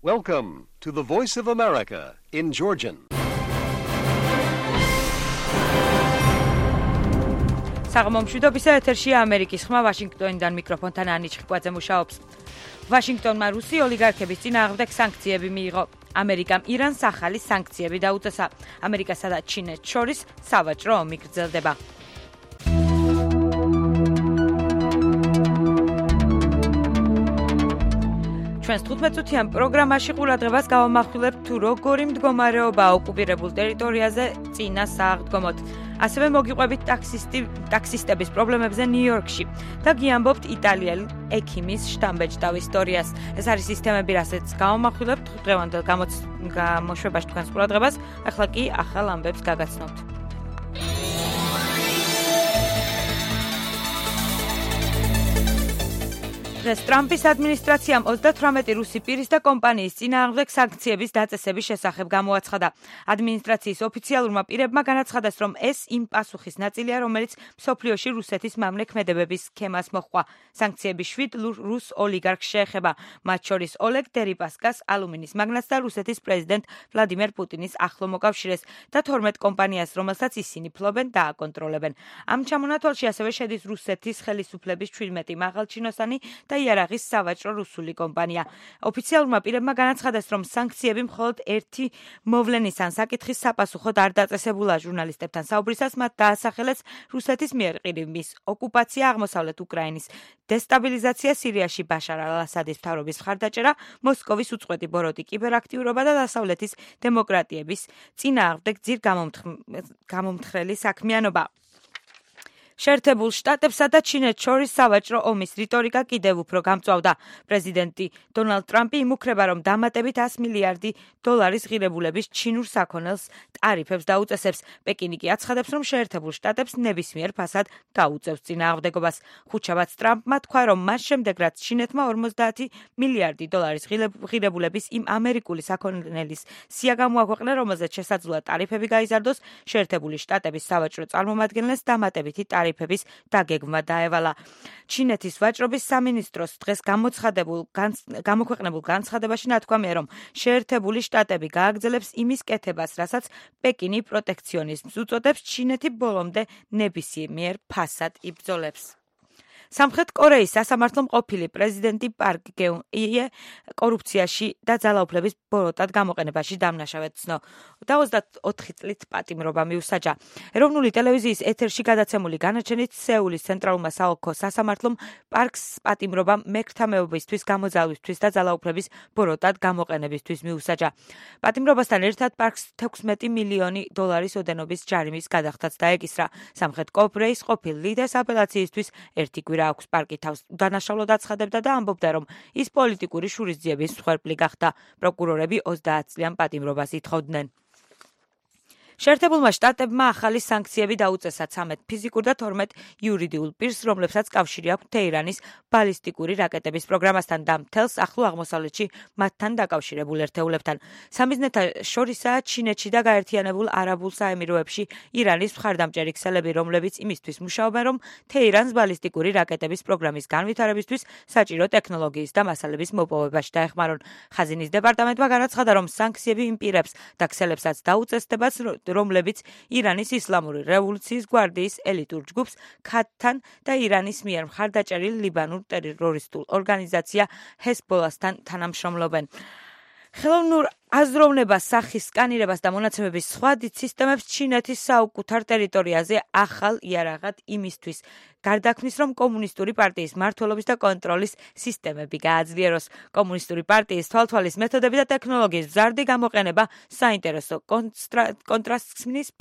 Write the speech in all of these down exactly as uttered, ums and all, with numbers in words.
Welcome to the Voice of America in Georgian. საღამომშვიდობისა ეთერშია ამერიკის ხმა ვაშინგტონიდან მიკროფონთან ანი ჩხიკვაძე მუშაობს. ვაშინგტონმა რუსი ოლიგარქების წინააღმდეგ სანქციები მიიღო. ამერიკამ ირანს ახალი სანქციები დაუწესა. ამერიკასა და ჩინეთს შორის სავაჭრო ომი გრძელდება. ჩვენს თხუთმეტწუთიან პროგრამაში ყურადღებას გავამახვილებთ თუ როგორი მდგომარეობაა ოკუპირებულ ტერიტორიაზე წინა სააღდგომოდ. ასევე მოგიყვებით ტაქსისტი ტაქსისტების პრობლემებზე ნიუ-იორკში და გიამბობთ იტალიელი ექიმის შტამბეჭდავ ისტორიას. ეს არის ის თემები, რასაც გავამახვილებთ დღევანდელ გამოშვებაში თქვენს ყურადღებას. ახლა კი ახალ ამბებს გაგაცნობთ. დღეს ტრამპის ადმინისტრაციამ ოცდათვრამეტი რუსი პირის და კომპანიის წინააღმდეგ სანქციების დაწესების შესახებ გამოაცხადა. ადმინისტრაციის ოფიციალურმა პირებმა განაცხადეს, რომ ეს იმ პასუხის ნაწილია, რომელიც მსოფლიოში რუსეთის მამლექმედებების სქემას მოჰყვა. სანქციები შვიდ რუს ოლიგარქს შეეხება, მათ შორის ოლეგ დერიპასკას, ალუმინის მაგნატს და რუსეთის პრეზიდენტ ვლადიმერ პუტინის ახლო მოკავშირეს და თორმეტ კომპანიას, რომელსაც ისინი ფლობენ და აკონტროლებენ. ამ ჩამონათვალში ასევე შედის რუსეთის ხელისუფლების ჩვიდმეტი მაღალჩინოსანი და იარაღის სავაჭრო რუსული კომპანია. ოფიციალურმა პირებმა განაცხადეს, რომ სანქციები მხოლოდ ერთი მოვლენის ან საკითხის sapasუხოდ არ დაწესებულა. ჟურნალისტებთან საუბრისას მათ დაასახელეს რუსეთის მიერ ყირიმის ოკუპაცია, აღმოსავლეთ უკრაინის დესტაბილიზაცია, სირიაში ბაშარ ალ-ასადის მთავრობის მხარდაჭერა, მოსკოვის უწყვეტი ბოროტი, კიბერაქტიურობა და დასავლეთის დემოკრატიების წინააღმდეგ ძირ გამომთხრელი საქმიანობა. შეერთებულ შტატებსა და ჩინეთს შორის სავაჭრო ომის რიტორიკა კიდევ უფრო გამწვავდა. პრეზიდენტი დონალდ ტრამპი იმუქრება, რომ დამატებით ას მილიარდი დოლარის ღირებულების ჩინურ საქონელს ტარიფებს დაუწესებს. პეკინი კი აცხადებს, რომ შეერთებულ შტატებს ნებისმიერ ფასად გაუწევს წინააღმდეგობას. ხუთშაბათს ტრამპმა თქვა, რომ მას შემდეგ, რაც ჩინეთმა ორმოცდაათი მილიარდი დოლარის ღირებულების იმ ამერიკული საქონელის სია გამოაქვეყნა, რომელზეც შესაძლოა ტარიფები გაიზარდოს, შეერთებული შტატების სავაჭრო წარმომადგენლებს დამატებითი ტარიფების დაგეგმა დაევალა. ჩინეთის ვაჭრობის სამინისტროს დღეს გამოცხადებულ გამოქვეყნებულ განცხადებაში ნათქვამია, რომ შეერთებული შტატები გააგრძელებს იმის კეთებას, რასაც პეკინი პროტექციონიზმს უწოდებს, ჩინეთი ბოლომდე ნებისმიერ ფასად იბრძოლებს. სამხრეთ კორეის სასამართლო ყოფილი პრეზიდენტი პარკ გეუნ-იე კორუფციაში და ძალაუფლების ბოროტად გამოყენებაში დამნაშავედ ცნო და ოცდაოთხი წლით პატიმრობა მიუსაჯა. ეროვნული ტელევიზიის ეთერში გადაცემული განაჩენით სეულის ცენტრალურმა საოლქო სასამართლომ პარკს პატიმრობა მეკრთამეობისთვის, გამოძალვისთვის და ძალაუფლების ბოროტად გამოყენებისთვის მიუსაჯა. პატიმრობასთან ერთად პარკს თექვსმეტი მილიონი დოლარის ოდენობის ჯარიმის გადახდაც დაეკისრა. სამხრეთ კორეის ყოფილ ლიდერს აპელაციისთვის ერთი კვირა აქვს. პარკი თავს დანაშაულოდ აცხადებდა და ამბობდა, რომ ის პოლიტიკური შურისძიების მსხვერპლი გახდა. პროკურორები ოცდაათ წლიან პატიმრობას ითხოვდნენ. შეერთებულმა შტატებმა ახალი სანქციები დაუწესა ცამეტ ფიზიკურ და თორმეტ იურიდიულ პირს, რომლებსაც კავშირი აქვს თეირანის ბალისტიკური რაკეტების პროგრამასთან და მთელს ახლო აღმოსავლეთში მათთან დაკავშირებულ ერთეულებთან. სამიზნეთა შორისაა ჩინეთში და გაერთიანებულ არაბულ საემიროებში ირანის მხარდამჭერი ქსელები, რომლებიც იმისთვის მუშაობენ, რომ თეირანს ბალისტიკური რაკეტების პროგრამის განვითარებისთვის საჭირო ტექნოლოგიის და მასალების მოპოვებაში დაეხმარონ. ხაზინის დეპარტამენტმა განაცხადა, რომ სანქციები იმ პირებს და ქსელებსაც დაუწესდებათ, რომლებიც ირანის ისლამური რევოლუციის გვარდიის ელიტურ ჯგუფს ქათთან და ირანის მიერ მხარდაჭერილ ლიბანურ ტერორისტულ ორგანიზაცია ჰეზბოლასთან თანამშრომლობენ. ხელოვნურ აზროვნებას, სახის სკანირებას და მონაცემების სხვა დიდ სისტემებს ჩინეთის საუკუთარ ტერიტორიაზე ახალ იარაღად იმისთვის გარდაქმნის, რომ კომუნისტური პარტიის მმართველობის და კონტროლის სისტემები გააძლიეროს. კომუნისტური პარტიის თვალთვალის მეთოდები და ტექნოლოგიის მზარდი გამოყენება საინტერესო კონტრასტს ქმნის,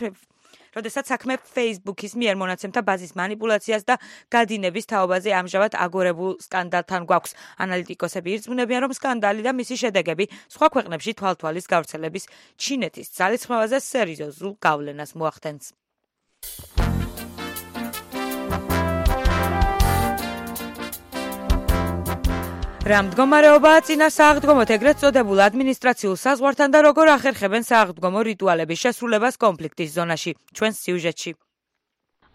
როდესაც საქმე Facebook-ის მიერ მონაცემთა ბაზის მანიპულაციას და გადინების თაობაზე ამჟამად აგორებულ სკანდალთან გვაქვს. ანალიტიკოსები ირწმუნებიან, რომ სკანდალი და მისი შედეგები სხვა ქვეყნებში თვალთვალის გავრცელების ჩინეთის ძალისხმევაზე სერიოზულ გავლენას მოახდენს. რა მდგომარეობაა წინა სააღდგომოთ ეგრეთ წოდებულ ადმინისტრაციულ საზღვართან და როგორ ახერხებენ სააღდგომო რიტუალების შესრულებას კონფლიქტის ზონაში. ჩვენს სიუჟეტში.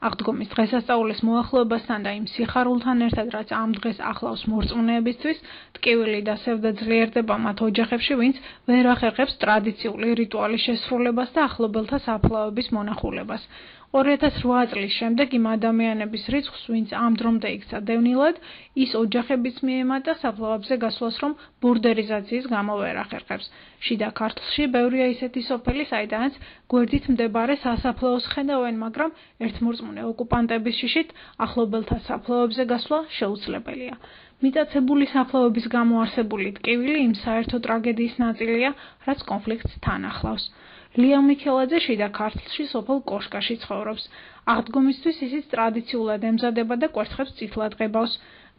აღდგომის დღესასწაულის მოახლოებასთან და იმ სიხარულთან ერთად, რაც ამ დღეს ახლავს მორწმუნეებისთვის, ტკივილი და სევდა ძლიერდება მათ ოჯახებში, ვინც ვერ ახერხებს ტრადიციული რიტუალის შესრულებას და ახლობელთა საფლავების მონახულებას. ორი ათას რვა წლის შემდეგ იმ ადამიანების რიცხვს, ვინც ამ დრომდე იქცა დევნილად, ის ოჯახებიც მიემატა საფლავებზე გასვლას, რომ ბურდერიზაციის გამო ვერ ახერხებს. შიდა ქართლში ბევრია ისეთი სოფელი, საიდანაც გვერდით მდებარე სასაფლაოს ხედავენ, მაგრამ ერთმორწმუნე ოკუპანტების შიშით ახლობელთა საფლავებზე გასვლა შეუძლებელია. მიტაცებული საფლავების გამო არსებული ტკივილი იმ საერთო ტრაგედიის ნაწილია, რაც კონფლიქტს თან ახლავს. ლია მიქელაძე შიდა ქართლში სოფელ კოშკაში ცხოვრობს. აღდგომისთვის ისიც ტრადიციულად ემზადება და კვერცხებს წითლად ღებავს.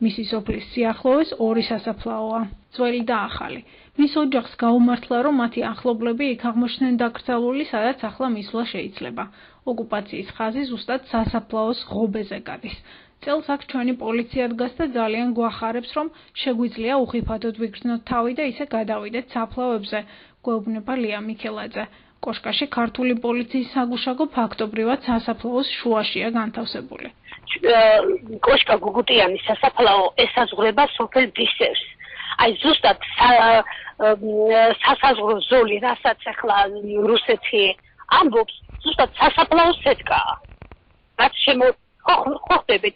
მისი სოფლის სიახლოვეს ორი სასაფლაოა, ძველი და ახალი. მის ოჯახს გაუმართლა, რომ მათი ახლობლები იქ აღმოჩნდნენ დაკრძალული, სადაც ახლა მისვლა შეიძლება. ოკუპაციის ხაზი ზუსტად სასაფლაოს ღობეზე გადის. წელს აქ ჩვენი პოლიცია დგას და ძალიან გვახარებს, რომ შეგვიძლია უხიფათოდ ვიგრძნოთ თავი და ისე გადავიდეთ საფლავებზე, გვეუბნება ლია მიქელაძე. კოშკაში ქართული პოლიციის საგუშაგო ფაქტობრივად სასაფლაოს შუაშია განთავსებული. კოშკა გუგუტიანის სასაფლაო ესაზღვრება სოფელ დისევს. აი ზუსტად სასაზღვრო ზოლი, რასაც ახლა რუსეთი ამბობს, ზუსტად სასაფლაოს სეტკაა. რაც ხოხდებით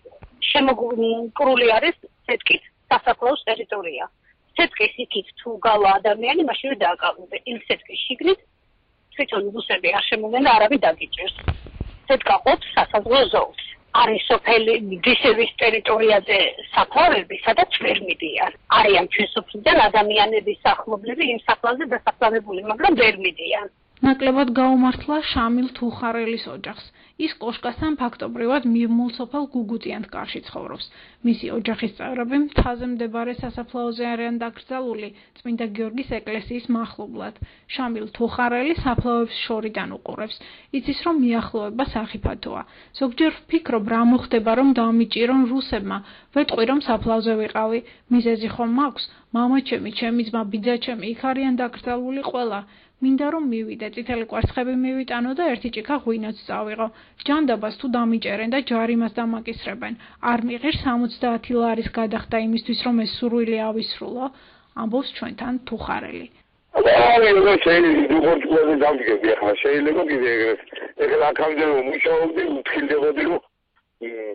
შემოგკრული არის სეტკით სასაფლაოს ტერიტორია. სეტკის იქით თუ გავა ადამიანი, მაშინვე დააკავებენ. იმ სეტკის შიგნით თვითონ რუსები არ შემოვიდნენ და არავინ დაგიჭირს. სეტკა ყოფს სასაზღვრო ზოლს. არის სოფელი დისევის ტერიტორიაზე საფლავები, სადაც ვერ მიდიან. არიან ჩვენ სოფლიდან ადამიანების ახლობლები იმ საფლავზე დასაფლავებული, მაგრამ ვერ მიდიან. ნაკლებად გაუმართლა შამილ თუხარელის ოჯახს. ის კოშკასთან ფაქტობრივად მიმმულ სოფელ გუგუტიანთკარში ცხოვრობს. მისი ოჯახის წევრები მთაზე მდებარე სასაფლაოზე არიან დაკრძალული წმინდა გიორგის ეკლესიის მახლობლად. შამილ თუხარელი საფლავებს შორიდან უყურებს. იცის, რომ მიახლოება სახიფათოა. ზოგჯერ ვფიქრობ, რა მოხდება, რომ დამიჭირონ რუსებმა. ვეტყვი, რომ საფლავზე ვიყავი. მიზეზი ხომ მაქვს? მამაჩემი, ჩემი ძმა, ბიძაჩემი იქ არიან დაკრძალული ყველა. მინდა რომ მივიდე, წითელი კვერცხები მივიტანო და ერთი ჭიქა ღვინოც წავიღო. ჯანდაბას თუ დამიჭერენ და ჯარიმას დამაკისრებენ. არ მიღირს სამოცდაათი ლარის გადახდა იმისთვის, რომ ეს სურვილი ავისრულო, ამბობს ჩვენთან თუხარელი. არა, შეიძლება დამდგები ახლა, შეიძლება კიდე ეგრეთ. ეხლა აქამდე რომ მუშაობდი, მთხილდებოდი, რომ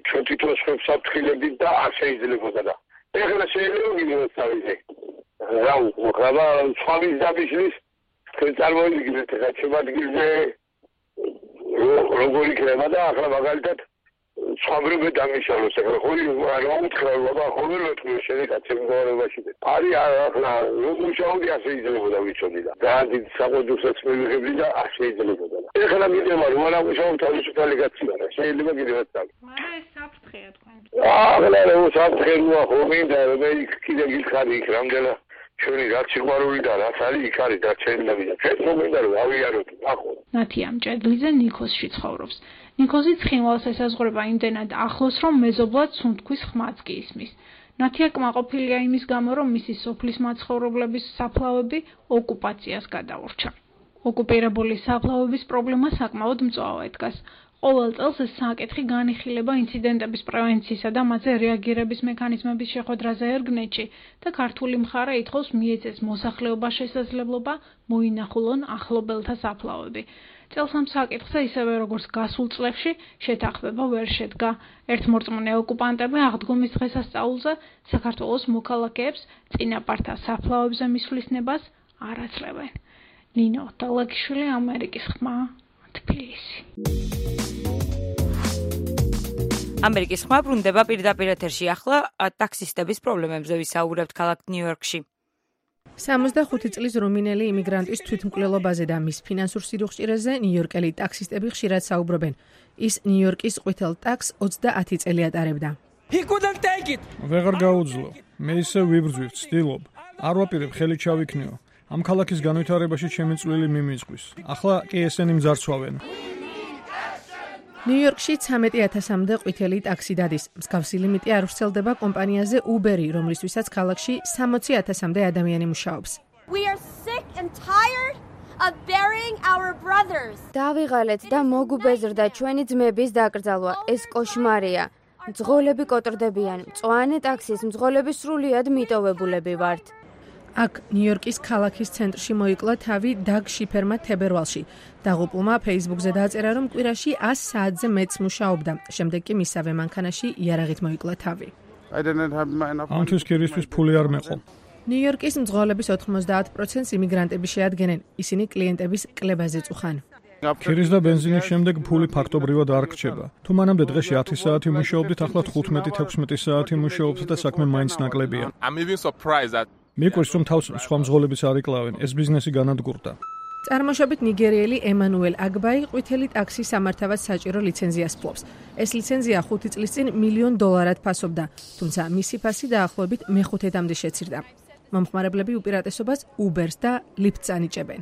ჩვენ თვითონ სხვებს ავთხილებდით და არ შეიძლებოდა და. ეხლა შეიძლება კიდე მოსავიდე. რა უყურება, სხვა მის დაბიშლის თქვენ წარმოიდგინეთ, რა შემოადგილზე როგორი იქნება და ახლა მაგალითად სხვაბრებე დამიშალოს, ახლა ხოლმე არ უთხრა, ბაბა, ხოლმე ვეთქვი შენიკაცე მდგომარეობაში. არის ახლა მუშაობდი ასე იძლებოდა ვიცოდი და დაანდი საყოდუსაც მივიღებდი და არ შეიძლებოდა. ეხლა მიდევა რომ არა მუშაობ თავისუფალი გაცია და შეიძლება კიდევაც დავი. მაგრამ ეს საფრთხეა თქვენ. ახლა რა საფრთხეა ხო მინდა რომ იქ კიდე გითხარი იქ რამდენა ჩვენი რაც სიყვარული და რაც არის იქ არის და შეიძლება და ჩვენ მომინდა რომ ავიაროთ ახლა. ნათია მჭედლიძე ნიქოსში ცხოვრობს. ნიქოზი ცხინვალს ესაზღვრება იმდენად ახლოს, რომ მეზობლად სუნთქვის ხმაც კი ისმის. ნათია კმაყოფილია იმის გამო, რომ მისი სოფლის მაცხოვრებლების საფლავები ოკუპაციას გადაურჩა. ოკუპირებული საფლავების პრობლემა საკმაოდ მწვავე დგას. ყოველ წელს ეს საკითხი განიხილება ინციდენტების პრევენციისა და მათზე რეაგირების მექანიზმების შეხვედრაზე ერგნეთში და ქართული მხარე ითხოვს მიეცეს მოსახლეობას შესაძლებლობა მოინახულონ ახლობელთა საფლავები. წელს ამ საკითხზე ისევე როგორც გასულ წლებში შეთანხმება ვერ შედგა. ერთმორწმუნე ოკუპანტები აღდგომის დღესასწაულზე საქართველოს მოქალაქეებს წინაპართა საფლავებზე მისვლის ნებას არ აძლევენ. ნინო დალაგიშვილი, ამერიკის ხმა, თბილისი. ამერიკის ხმა ბრუნდება პირდაპირ ეთერში. ახლა ტაქსისტების პრობლემებზე ვისაუბრებთ ქალაქ ნიუ-იორკში. სამოცდახუთი წლის რუმინელი იმიგრანტის თვითმკვლელობაზე და მის ფინანსურ სიდუხჭირეზე ნიუ-იორკელი ტაქსისტები ხშირად საუბრობენ. ის ნიუ-იორკის ყვითელ ტაქსს ოცდაათი წელი ატარებდა. ვეღარ გაუძლო. მე ისე ვიბრძვი, ვცდილობ. არ ვაპირებ ხელი ჩავიქნიო. ამ ქალაქის განვითარებაში ჩემი წვლილი მიმისყვის. ახლა კი ესენი მძარცვავენ. ნიუ-იორკში ცამეტი ათასამდე ყვითელი ტაქსი დადის. მსგავსი ლიმიტი არ ვრცელდება კომპანიაზე Uber-ი, რომლისთვისაც ქალაქში სამოცი ათასამდე ადამიანი მუშაობს. We are sick and tired of burying our brothers. დავიღალეთ და მოგუბეზრდა ჩვენი ძმების დაკრძალვა. ეს კოშმარია. მძღოლები კოტრდებიან. მწვანე ტაქსის მძღოლები სრულიად მიტოვებულები ვართ. აქ ნიუ-იორკის ქალაქის ცენტრში მოიკლა თავი დაგ შიფერმა თებერვალში. დაღუპულმა Facebook-ზე დააწერა, რომ კვირაში ას საათზე მეც მუშაობდა. შემდეგ კი მისავე მანქანაში იარაღით მოიკლა თავი. ამთვის კირისთვის ფული არ მეყო. ნიუ-იორკის მძღოლების ოთხმოცდაათ პროცენტს იმიგრანტები შეადგენენ. ისინი კლიენტების კლებაზე წუხან. ქირის და ბენზინის შემდეგ ფული ფაქტობრივად არ რჩება. თუ მანამდე დღეში ათი საათი მუშაობდით, ახლა თხუთმეტი ათექვსმეტი საათი მუშაობთ და საქმე მაინც ნაკლებია. მიყვარს რომ თავს სხვა მძღოლებიც არ იკლავენ, ეს ბიზნესი განადგურდა. წარმოშობით ნიგერიელი ემანუელ აგბაი ყვითელი ტაქსის სამართავად საჭირო ლიცენზიას ფლობს. ეს ლიცენზია ხუთი წლის წინ მილიონ დოლარად ფასობდა, თუმცა მისი ფასი დაახლოებით მეხუთედამდე შეცირდა. მომხმარებლები უპირატესობას Uber-ს და Lyft-ს ანიჭებენ.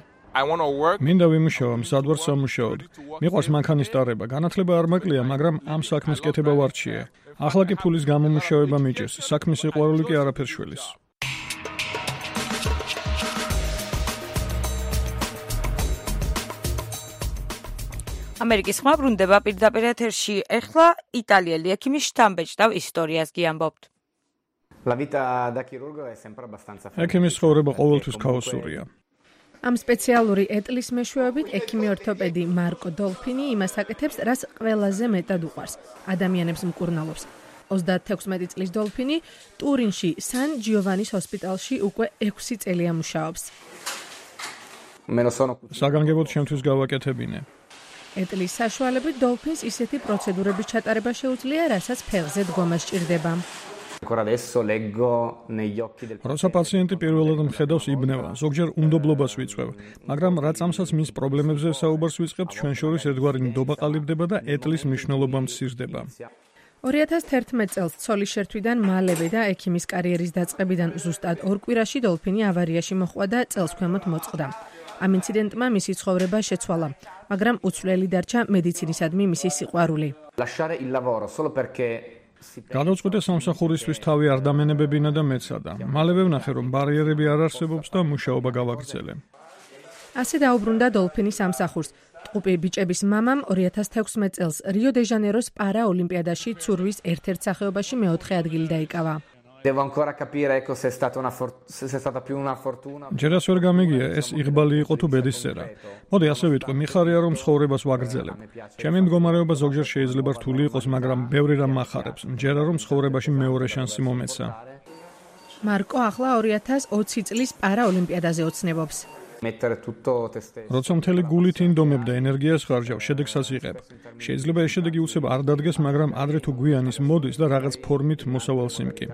მინდა ვიმუშავა, მზად ვარ სამუშაოდ. მიყვარს მანქანის ტარება, განათლება არ მაკლია, მაგრამ ამ საქმის კეთება ვარჩიე. ახლა კი ფულის გამომუშავება მიჭირს, საქმის სიყვარული კი არაფერს შველის. ამერიკის ხმა ბრუნდება პირდაპირ ეთერში. ეხლა იტალიელი ექიმის შთამბეჭდავ ისტორიას გიამბობთ. ექიმის ცხოვრება ყოველთვის ქაოსურია. ამ სპეციალური ეტლის მეშვეობით ექიმი ორთოპედი მარკო დოლფინი იმას აკეთებს, რას ყველაზე მეტად უყვარს. ადამიანებს მკურნალობს. ოცდათექვსმეტი წლის დოლფინი ტურინში სან ჯიოვანის ჰოსპიტალში უკვე ექვსი წელია მუშაობს. საგანგებოდ შემთთვის გავაკეთებინე. ეტლის საშუალებით დოლფინს ისეთი პროცედურების ჩატარება შეუძლია, რასაც ფეხზე დგომა სჭირდება. როცა პაციენტი პირველად მხედავს იბნევა, ზოგჯერ უნდობლობას ვიწვევ, მაგრამ რაც ამსაც მის პრობლემებზე საუბარს ვიწყებთ, ჩვენ შორის ერთგვარი ნდობა ყალიბდება და ეტლის მნიშვნელობა მცირდება. ორი ათას თერთმეტ წელს ცოლის შერთვიდან მალევე და ექიმის კარიერის დაწყებიდან ზუსტად ორ კვირაში დოლფინი ავარიაში მოჰყვა და წელს ქვემოთ მოწყდა. ამ ინციდენტმა მისი ცხოვრება შეცვალა, მაგრამ უცვლელი დარჩა მედიცინისადმი მისი სიყვარული. გადავწყვიტე სამსახურისთვის თავი არ დამენებებინა და მეცადა. მალევე ვნახე, რომ ბარიერები არ არსებობს და მუშაობა გავაგრძელე. ასე დაუბრუნდა დოლფინი სამსახურს. ტყუპი ბიჭების მამამ ორი ათას თექვსმეტ წელს რიო-დე-ჟანეიროს პარაოლიმპიადაში ცურვის ერთ-ერთ სახეობაში მეოთხე ადგილი დაიკავა. ჯერაც ვერ გამიგია, ეს იღბალი იყო თუ ბედისწერა. მოდი ასე ვიტყვი, მიხარია რომ ცხოვრებას ვაგრძელებ. ჩემი მდგომარეობა ზოგჯერ შეიძლება რთული იყოს, მაგრამ ბევრი რამ მახარებს. მჯერა რომ ცხოვრებაში მეორე შანსი მომეცა. მარკო ახლა ორი ათას ოცი წლის პარაოლიმპიადაზე ოცნებობს. როცა მთელი გულით ინდომებ და ენერგიას ხარჯავ, შედეგსაც იღებ. შეიძლება ეს შედეგი უცებ არ დადგეს, მაგრამ ადრე თუ გვიან ის მოდის და რაღაც ფორმით მოსავალს იმკი.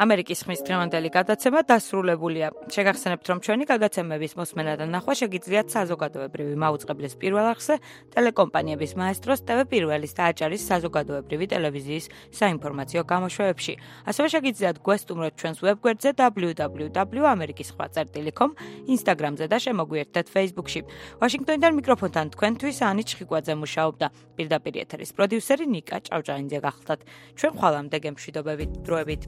ამერიკის ხმის დღევანდელი გადაცემა დასრულებულია. შეგახსენებთ, რომ ჩვენი გადაცემების მოსმენა და ნახვა შეგიძლიათ საზოგადოებრივი მაუწყებლის პირველ არხზე, ტელეკომპანიების მაესტროს, ტევ პირველის და აჭარის საზოგადოებრივი ტელევიზიის საინფორმაციო გამოშვებებში. ასევე შეგიძლიათ გვესტუმროთ ჩვენს ვებგვერდზე დაბლიუ დაბლიუ დაბლიუ წერტილი ამერიკის ხმა წერტილი კომ, ინსტაგრამზე და შემოგვიერთდეთ Facebook-ში. ვაშინგტონიდან მიკროფონთან თქვენთვის ანი ჩხიკვაძე მუშაობდა. პირდაპირ ეთერის პროდიუსერი ნიკა ჭავჭაინძე გახლდათ. ჩვენ ხვალამდე გემშვიდობებით, დროებით.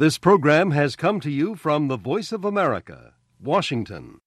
This program has come to you from the Voice of America, Washington.